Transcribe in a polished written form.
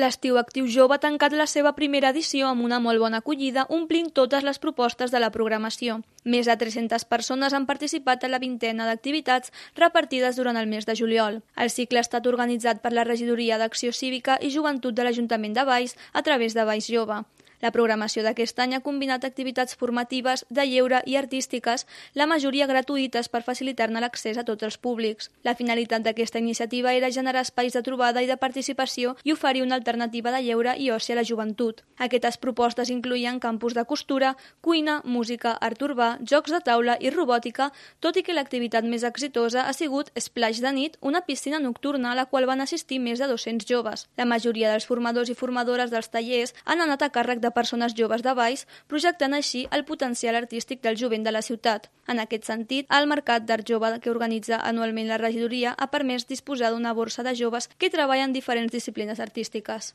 L'Estiu Actiu Jove ha tancat la seva primera edició amb una molt bona acollida, omplint totes les propostes de la programació. Més de 300 persones han participat en la vintena d'activitats repartides durant el mes de juliol. El cicle ha estat organitzat per la Regidoria d'Acció Cívica i Joventut de l'Ajuntament de Valls a través de Valls Jove. La programació d'aquest any ha combinat activitats formatives, de lleure i artístiques, la majoria gratuïtes per facilitar-ne l'accés a tots els públics. La finalitat d'aquesta iniciativa era generar espais de trobada i de participació i oferir una alternativa de lleure i oci a la joventut. Aquestes propostes incloïen campus de costura, cuina, música, art urbà, jocs de taula i robòtica, tot i que l'activitat més exitosa ha sigut Splash de nit, una piscina nocturna a la qual van assistir més de 200 joves. La majoria dels formadors i formadores dels tallers han anat a càrrec de persones joves de Valls, projectant així el potencial artístic del jovent de la ciutat. En aquest sentit, el Mercat d'Art Jove que organitza anualment la regidoria ha permès disposar d'una borsa de joves que treballen diferents disciplines artístiques.